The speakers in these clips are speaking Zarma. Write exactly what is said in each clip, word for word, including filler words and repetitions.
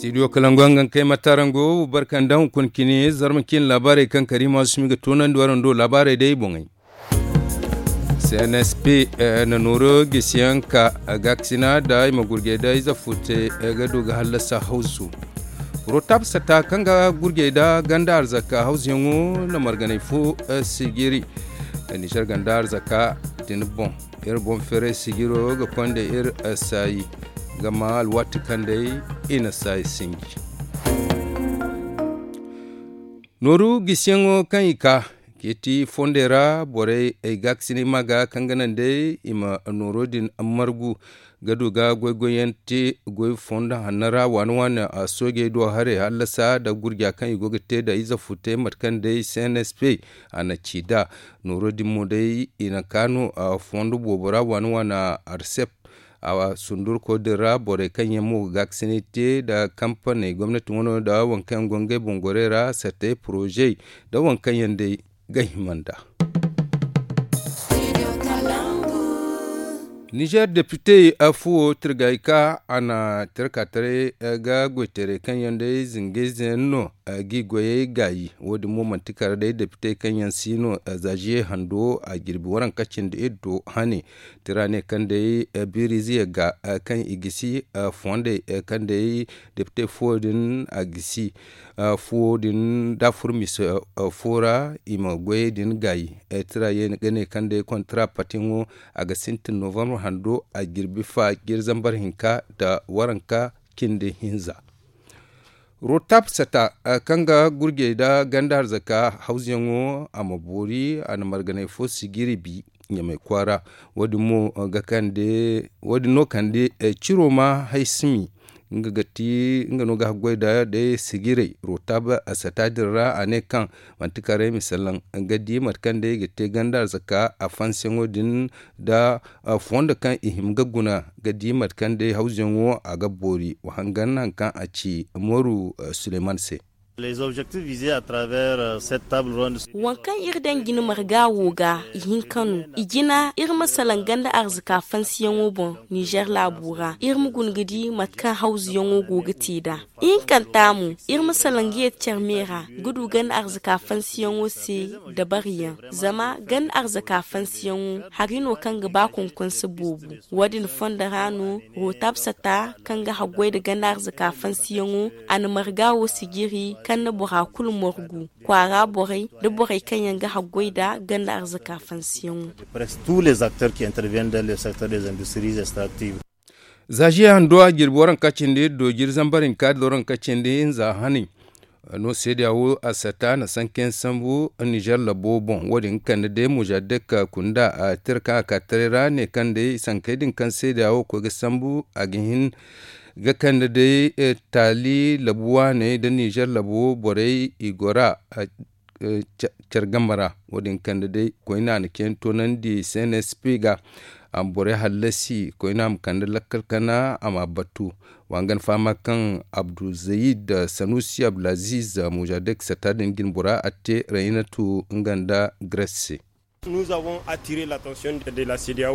Studio kalangu hangan kay matarango barka nda hunkuna cine zarma cine laabaarey kaŋ kariima sumi ga toonandi waraŋ do laabaarey day boŋey. C N S P na nooro gisiyaŋ ka gaakasina da i ma gurjey da ize fo te ga du ga hallasa hawzu. Rotab sata kaŋ ga gurjey da ganda arzaka hawzuyaŋo na marganay fo sijiri nizer ganda arzaka din boŋ. Iri boŋ feeray sijiro ga konda iri saayi. Gama alwaati kaŋ day i na saayi sinji. Nooru gisiyaŋo kaŋ i ka ceeti fondey ra borey ay gaakasinay ma ga kaŋ ga naŋ day i ma nooro din margu ga du ga goy-goyyaŋ te goy fondo hanno ra waani-waani soojey do haray hallasa nda gurja kaŋ i go ga te nda ize fute mate kaŋ day C N S P a na ci nd'a. Nooro din mo day i na ka no fondo boobo ra waani-waani arsep a sundurko din ra borey kaŋ yaŋ mo ga gaakasinay te nda kampaney gomnati wano nda waŋ kaŋ yaŋ go ngey boŋ gorey ra sartey porozey nda waŋ kaŋ yaŋ day ga hima nd'a. Nizer depite fuwo tirgay ka a na tirka taray ga goytaray kaŋ yaŋ day zingayze yaŋ no g'i goyey gaayi. Wo- din mo manti kala day depite kaŋ yaŋ si no zaaziye hando a jirbi waranka cindi iri do hane tira ne kaŋ day biiriize yagga kaŋ i gisi fondey kaŋ day depite fuwo din a gisi fuwo din da furmis fo ra i ma goyey din gaayi. Tira ye ga ne kaŋ day kontara patiyaŋo a ga sintin novambar hando a jirbi fa jiri zambar hinka nda waranka cindi hinza. Rotab sata kaŋ ga gurjey nda ganda arzaka hawzuyaŋo a ma boori a na marganay fo sijiri bi ɲamay kwaara. Wo- din mo ga kande wo- din no kande ciro ma hay simi nga ga ti nga no ga haggoy nda day sijirey rotab sata din ra a ne kaŋ manti karay ma salaŋ ga di mate kaŋ day ga te ganda arzaka a fansiyaŋo din nda fondo kaŋ i hima ga guna ga di mate kaŋ day hawzuyaŋo a ga boori wa hangan hari kaŋ a ci mooru suleyman se. Waŋ kaŋ iri daŋ jina marga wo ga ihinka no i jina iri ma salaŋ ganda arzaka fansiyaŋo boŋ nizer laabo ra iri ma guna ga di mate kaŋ hawzuyaŋo go ga te nd'a. Ihinkanta mo iri ma salaŋ ga yeeti care me ra ga du ganda arzaka fansiyaŋo se dabariyaŋ. Zama ganda arzaka fansiyaŋo hari no kaŋ ga ba konkonse boobo. Wo- din fondo ra no rotab sata kaŋ ga haggoy nda ganda arzaka fansiyaŋo a na marga wo sijiri kaŋ na bora kulu margu kwaara borey nda borey kaŋ yaŋ ga haggoy nda ganda arzaka fansiyaŋo. Zaaziya hando a jirbi waranka cindi do jiri zambar hinka da waranka cindi hinza hani. No seediya wo a sata na sankayaŋ sambu nizer labo boŋ wo- din kande day mujadek kunda a tira kaŋ a ka taray ra ne kaŋ day sankey din kaŋ seediya wo koy ga sambu a ga hin ga kande day taali labu waaney nda nizer labo borey i gora. Care game ra wo- din kande day koyne a na cine toonandi cnsp ga a ma borey hallasi koyne a ma kande lakkal kana a ma a battu. Wa nga na fahama kaŋ abdulzayid sanusi abdulaziz mujadek sata din jinbora a te raynatu nga nda grece se.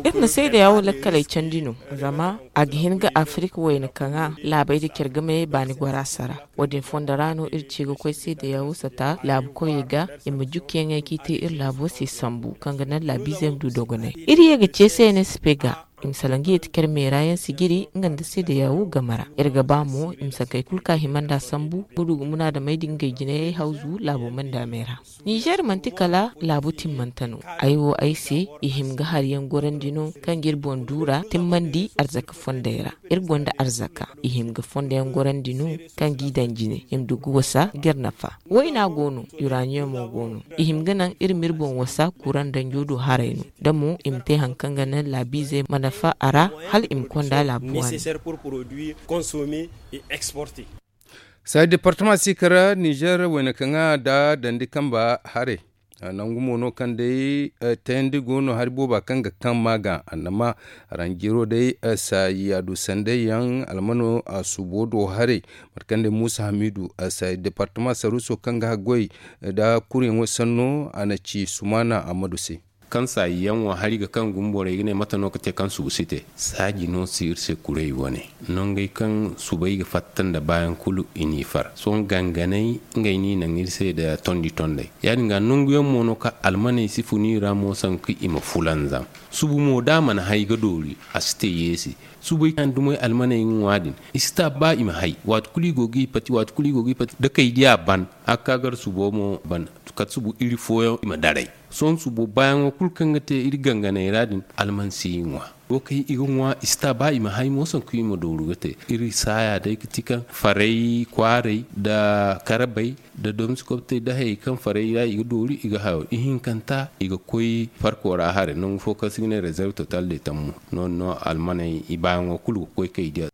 Iri na seedeya wo lakkaley candi no zama a ga hin ga afirka wayna kaŋa laabey da care game baani gora sara. Wo- din fondo ra no iri ci ga koy seedeya wo sata laabu koyey ga i ma jukiyaŋey kaŋ i te iri laabo se sambu kaŋ ga naŋ laabiizey ma du dogonay. Iri ye ga ce cnsp ga i ma salaŋ ga yeeti care meera yaŋ sijiri nga nda seedeya wo game ra. Iri ga ba mo i ma sankey kulu kaŋ a hima nd'a sambu ga du ga munaadamey din ngey jinayey hawzu laabo manda meera. Nizer manti kala laabu timmante no. Ay wo ay se i hima ga hari yaŋ gorandi no kaŋ ga iri boŋ duura timmandi arzaka fondey ra. Iri gonda arzaka i hima ga fondo yaŋ gorandi no kaŋ g'i daŋ jine i ma du ga wasa ga iri nafa. Wayna go no, uraniyomo go no. I hima ga naŋ iri ma iri boŋ wasa kuran danjo do haray no da mo i ma te hari kaŋ ga naŋ laabiizey ma nafa a ra hala i ma konda laabu waani. Saayi departama si kara nizer wayna kaŋa nda dandi kamba haray. Nangu mo no kaŋ day tayandi go no hari booba kaŋ ga kaŋ ma ga annama. Ranjiro day saayi a du sanday yaŋ almano a subo do haray. Mate kaŋ day muusa hamidu saayi departama saruuso kaŋ ga haggoy nda kuryaŋo sanno a na ci sumaana ammadu se. Kaŋ saayi yaŋ wo hari ga kaŋ gumborey ga ne mate no ga te kaŋ subu si te. Saaji no si iri se kuray wane nongey kaŋ subay ga fatta nda baayaŋ kulu i n'i far sohõ ganganay. Ngey n'i naŋ iri se nda tondi tondey ya- din ga nangu yaŋ mo no kaŋ almaney si fun i ra mo sanku i ma fulanzam. Subu mo da a mana hay ga doori a si te yeesi. Subay kaŋ dumey almaney ga ŋwa din i si ta ba i ma hay waati kulu i go ga i pati waati kulu i go ga i pati da kay di a ban. A ga ka gar subo mo ban kala subu iri fooyaŋ i ma daray. Sohõ subo baayaŋo kulu kaŋ ga te iri ganganey ra din alman si i ŋwa. Wo kaŋ i ga ŋwa i si ta ba i ma hay mo sanku i ma dooru ga te. Iri saaya day ga ti kaŋ faray kwaaray nda karabay nda domsi kobtey nda hayey kaŋ faray ra i ga dooru i ga hayo ihinkanta i ga koy farko ra hare nangu fo kaŋ se i ga ne rezerv total de tammu. Noodin no almaney i baayaŋo kulu ga koy kay diya.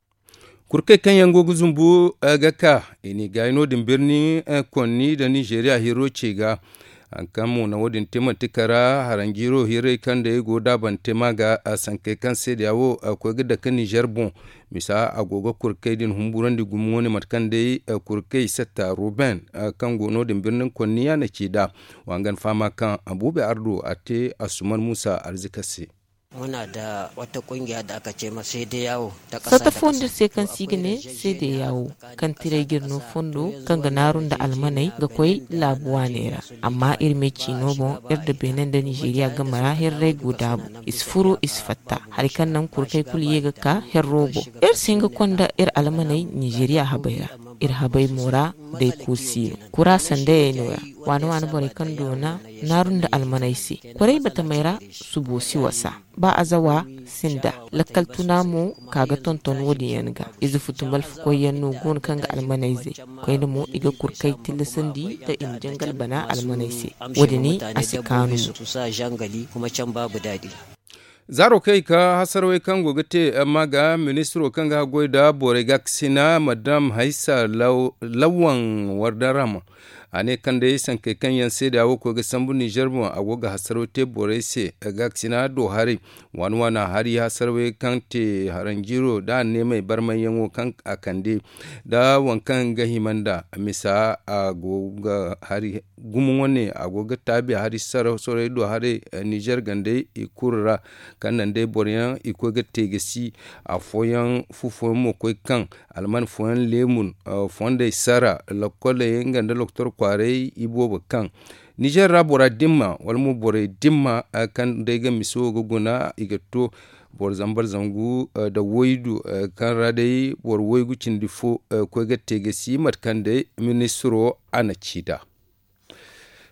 Kurkey kaŋ yaŋ go ga zumbu ga ka i n'i gaayi noodin birni konni nda ninzeeriya hiro ce ga. Hari kaŋ mo na wo- din te manti kara haranjiiro hirey kaŋ day go daabante ma ga sankey kaŋ seedeya wo koy ga dake ninzeer boŋ. Misa a go ga kurkey din humburandi gumo wane mate kaŋ day kurkey satta ruben kaŋ go noodin birnin konniya na ci nd'a. Wa nga ni fahama kaŋ abuubi ardo a te asuman muusa arzika se. Sata fondo se kaŋ se i ga ne seede yaawo kaŋ tiray ga iri no fondo kaŋ ga naaru nda almaney ga koy laabu waaney ra. Amma iri me ciino boŋ iri nda beene nda nizeeriya game ra hirray go daabu. I si furo i si fatta hari kaŋ naŋ kurkey kulu ye ga ka herro boŋ. Iri si hin ga konda iri almaney nizeeriya habey ra. Iri habey mo ra day koosi no kura sandayey no- ya. Waane waane borey kaŋ doona naaru nda almaney se. Koray batamey ra subo si wasa. Ba azawa sinda lakkal tuna mo ka ga tonton wo- din yaŋ ga. Ize futumbal fukoy yaŋ no go no kaŋ ga almaney zay. Koyne mo i ga kurkay tillasandi nda i ma jangal bana almaney se. Wo- din a si kaanu mo. Zaaro kaŋ i ka hasarawey kaŋ go ga te amma ga ministiro kaŋ ga haggoy nda borey gaakasina madam haysa lawan wardarama. A ne kaŋ day sankey kaŋ yaŋ seeda wo koy ga sambu ninzeer boŋ a go ga hasaraw te borey se. Gaakasina do haray waani waana hari hasaraw kaŋ te haranjiiro da a neemey barmayyaŋo kaŋ a kande da waŋ kaŋ ga hima nd'a misa a go ga hari gumo wane a go ga taabi hari saraw sorey do haray. Ninzeer gandey i kulu ra kaŋ naŋ day boro yaŋ i koy ga te ga si afooyaŋ fu fooyaŋ mo koy kaŋ alman fooyaŋ leemun fondey sara lokkoley nga nda loktor kwaaray i boobo kaŋ nizeer ra bora dimma wala mo borey dimma kaŋ day ga misa wo ga guna i ga to boro zambar zangu nda waydu kaŋ ra day boro waygu cindi fo koy ga te ga si mate kaŋ day ministiro a na ci nd'a.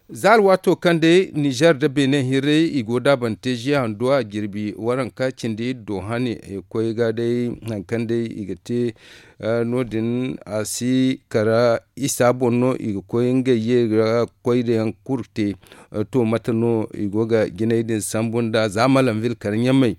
Za alwaato kaŋ day nizeer nda beene hirray i go daabante ziya hando a jirbi waranka cindi do hane koy ga day hari kaŋ day i ga te no- din a si kara isa boŋ no i ga koy ngey ye ga koy da yaŋ kulu te. To mate no i go ga jinay din sambu nda za malanvil kar ɲamey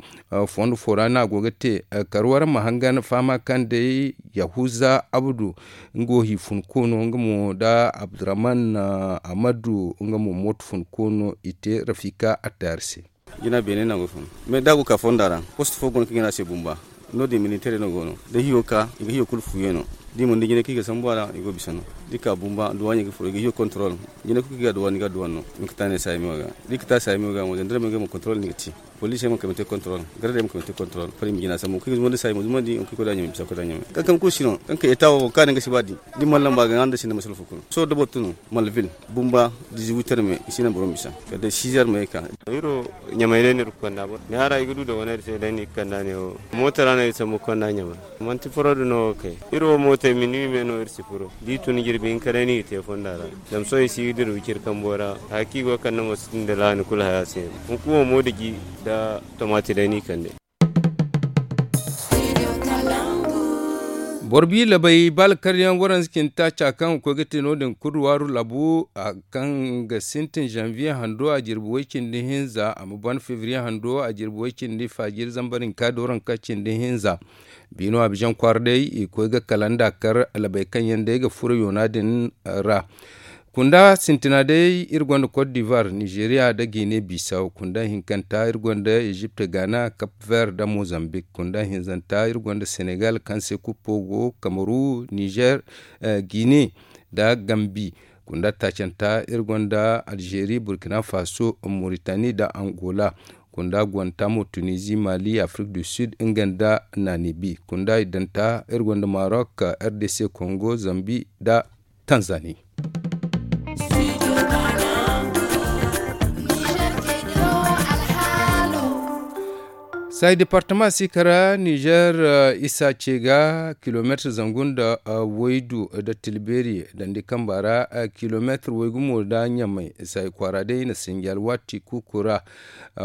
fondo fo ra no a go ga te. Kar wara ma hangan fahama kaŋ day yahuza abdu nga wo hi fun koono nga mo nda abdurrahman amadu nga mo mooto fun koono i te rafika attaari se. Jina beene no a go fun mais da a go ka fonda ra poste fo go no kaŋ ga ne a se bumba. No- din militeerey no go no da hiyo ka i ga hiyo kulu fuuyaŋ no da i mana di jinay kaŋ i ga sambu a ra i go bisa no da i ka bumba duwaaɲey ga furo i ga hiyo kontorol. Jinay kulu kaŋ i ga duwaaɲey ga duwaaɲey no i ma ka ta ne saayamiyo ga da i ka ta saayamiyo ga mo zandarmey ga mo kontorol no i ga te. Poliisey ma kay ma te kontorol gardey ma kay ma te kontorol fari ma jina sambu kaŋ i ga zumandi saayamiyo zumandi i ma koy da ɲamay bisa koy da ɲamay kaŋ kaŋ kulu si no kaŋ kaŋ eta wo kaŋ a ne nga si ba di da i mana lamba ga ŋwa nda sinda masala fo kulu sohõ da boro tun no malvil bumba diziwiter me i si naŋ boro ma bisa kala day sizer me ka. Iri wo ɲamay day no iri ga konda boro ne hara i ga du da wane iri se day no i ga kanda ne wo mooto ra no iri sambu ga konda ɲamay manti furo da no wo kay iri wo mootey minuwi me no iri si furo da i tun jirbi hinka day no i ga te fonda ra. Zama sohõ i si ga dira wiciri kambo ra haya kaŋ i go ga kande mo sintin da laani kulu haya se no hunkuna wo moodiji nda tomaati day no i kande. Boro bi labay ba alkaryaŋ waranza cindi taaca kaŋ ga koy ga te no- din kulu waaru labu kaŋ ga sintin zanviye hando a jirbi way cindi hinza a ma ban febriye hando a jirbi way cindi faajiri zambar hinka dooranka cindi hinza. Biino abizaŋ kwaara day i ga koy ga kalanda kar labay kaŋ yaŋ day ga furo yoona din ra. Kunda sintina day iri gonda kot divar nizeeriya nda gine bisaw kunda hinkanta iri gonda ezipt gaana kap ver nda mozambik kunda hinzanta iri gonda senegal kaŋ se kuppo go kamaru nizer, gine nda gambi. Kunda taacanta iri gonda Alzeeri, Burkina Faso, Moritani nda Angola. Kunda gwanta mo Tunizi, Mali, Afrik du Sud nga nda Namibi. Kunda iddanta iri gonda Marok, R D C Kongo, Zambi nda Tanzani. Sayi departama si kara Nizer, isa ce ga kilomeetir zangu nda waydu nda tilbeeri dandi kamba ra, kilomeetir waygu mo nda ɲamay. Sayi kwaara day i na sinji alwaati kuuku ra.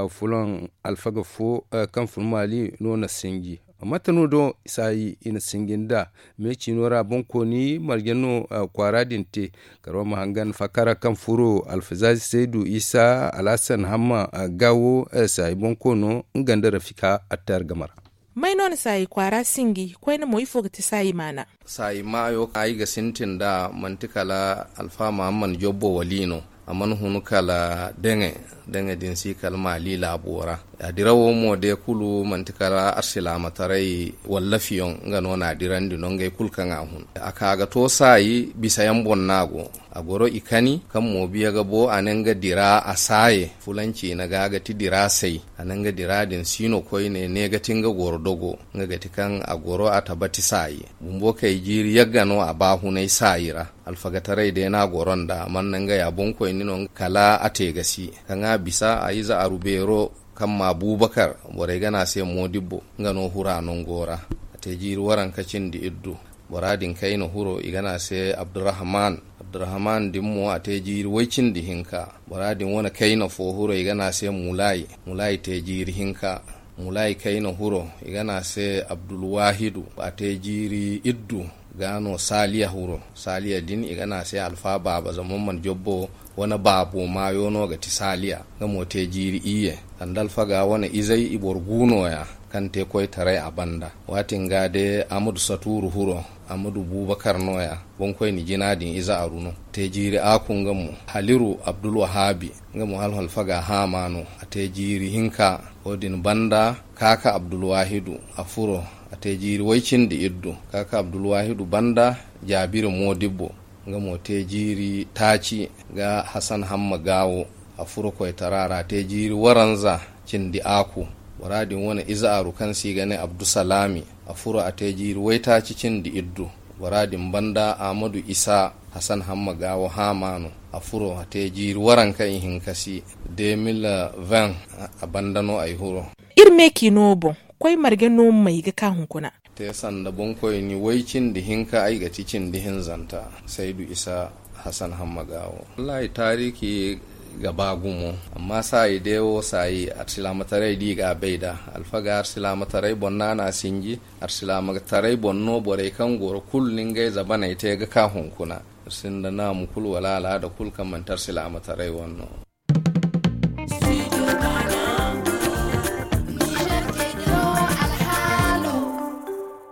Fulan alfaga fo kaŋ fun maali no na sinji. Mate no do sayi i na sinji nda me ciino ra boŋkooni marje no kwaara din te. Karo ma hangan fakara kaŋ furo alfazazi saydu isa alhasan hamma gawo sayi boŋkoono nga nda rafika attar game ra. May no na saayi kwaara sinji koyne mo ifo ga ti saayi maana? Saayi maayo kaŋ ay ga sintin nd'a manti kala alfa mahamman jobbo wali no. A mana hun kala deŋe. Deŋe din si kala maali laabo ra. A dirawo mo de kulu manti kala arsilaamataray wallafiyaŋ nga no na a dirandi no ngey kulu kaŋ a hun. A ka ga to saayi bisa yaŋ boŋ no a go. A goro i kani kaŋ moobiya ga bo a ne nga dira a saaye fulanci na ga ga ti dira say. A ne nga dira din siino koyne ne ga ti nga goro dogo nga ga ti kaŋ a goro a tabati saaye. Bumbo kay jiiri yagga no a ba hunay saayi ra. Alfagataray day no a goro nd'a a mana ne nga ya boŋkoyne no kala a te ga si kaŋ a bisa a ize aru beero kaŋ ma abubakar borey ga ne a se moodibbo nga no hura nango ra. A te jiiri waranka cindi iddu. Bora din kayna huro i ga ne a se abdurrahman. Abdurrahman din mo a te jiiri way cindi hinka. Bora din wane kayna fo huro i ga ne a se mulayi. Mulayi te jiiri hinka. Mulayi kayna huro i ga ne a se abdulwahidu a te jiiri iddu. Ga no saliya huro saliya din i ga ne a se alfa baaba zama man jobbo wane baabo maayo no ga ti saliya. Nga mo te jiiri iyye. Sanda alfaga wane izey i boro gu nooya kaŋ te koytaray a banda. Waati nga de amadu saturu huro amadu bubakar nooya. Boŋkoyne jina din ize aru no. Te jiiri aku nga mo haliru abdulwahabi. Nga mo hala alfaga haama no. A te jiiri hinka. Wo-din banda kaaka abdulwahidu a furo. A te jiiri way cindi iddu. Kaaka abdulwahidu banda jaabiri moodibbo. Nga mo te jiiri taaci ga hasan hamma gaawo. A furo koytara ra a te jiiri waranza cindi aku. Bora din wane ize aru kaŋ se i ga ne abdusalaami. A furo a te jiiri waytaaci cindi iddu. Bora din banda amadu isa hasan hamma gaawo haama no. A furo a te jiiri waranka ihinka si. Deux mille vingt a banda no ay huro. Iri me k'i no boŋ koy marge no may ga ka hunkuna. Te sanda boŋkoyni way cindi hinka ay ga ti cindi hinzanta saydu isa hasan hamma gaawo. Wallahi taariki ga ba gumo. Amma saayi de wo saayi arsilaamataray di ga bay da alfaga arsilaamataray boŋ no a na sinji. Arsilaamataray boŋ no borey kaŋ goro kulu ni ngey zabaney te ga ka hunkuna. Iri sinda naamu kulu wala alaada kulu kaŋ manti arsilaamataray wane no.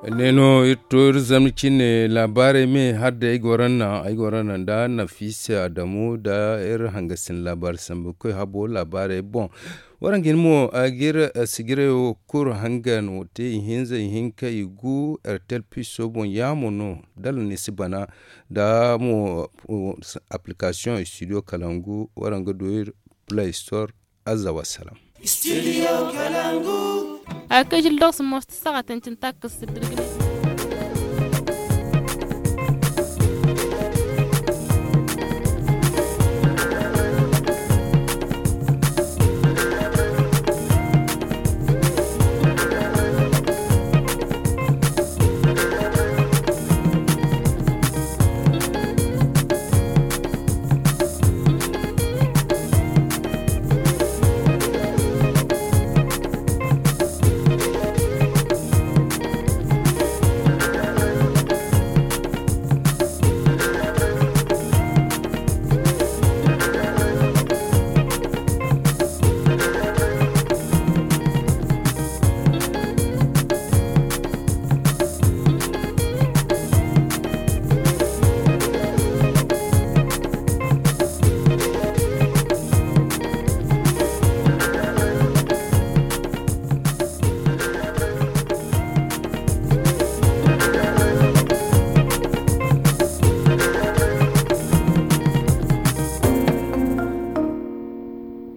Ne no iri to iri zamni cine laabaarey me har day ay goro naŋ ay goro naŋ nda nafisa adamu nda iri hangasin laabaari sambu koy habo laabaarey boŋ. Waranka hin mo a ga iri sijirayo kulu hangan wo te ihinza ihinka igu ertel piso boŋ yaamo no dala ni si bana nda mo application studio kalangu waranka do iri play store. Azza wassalam. A ga kay jil dogs most saga tancin takas sirdirgin.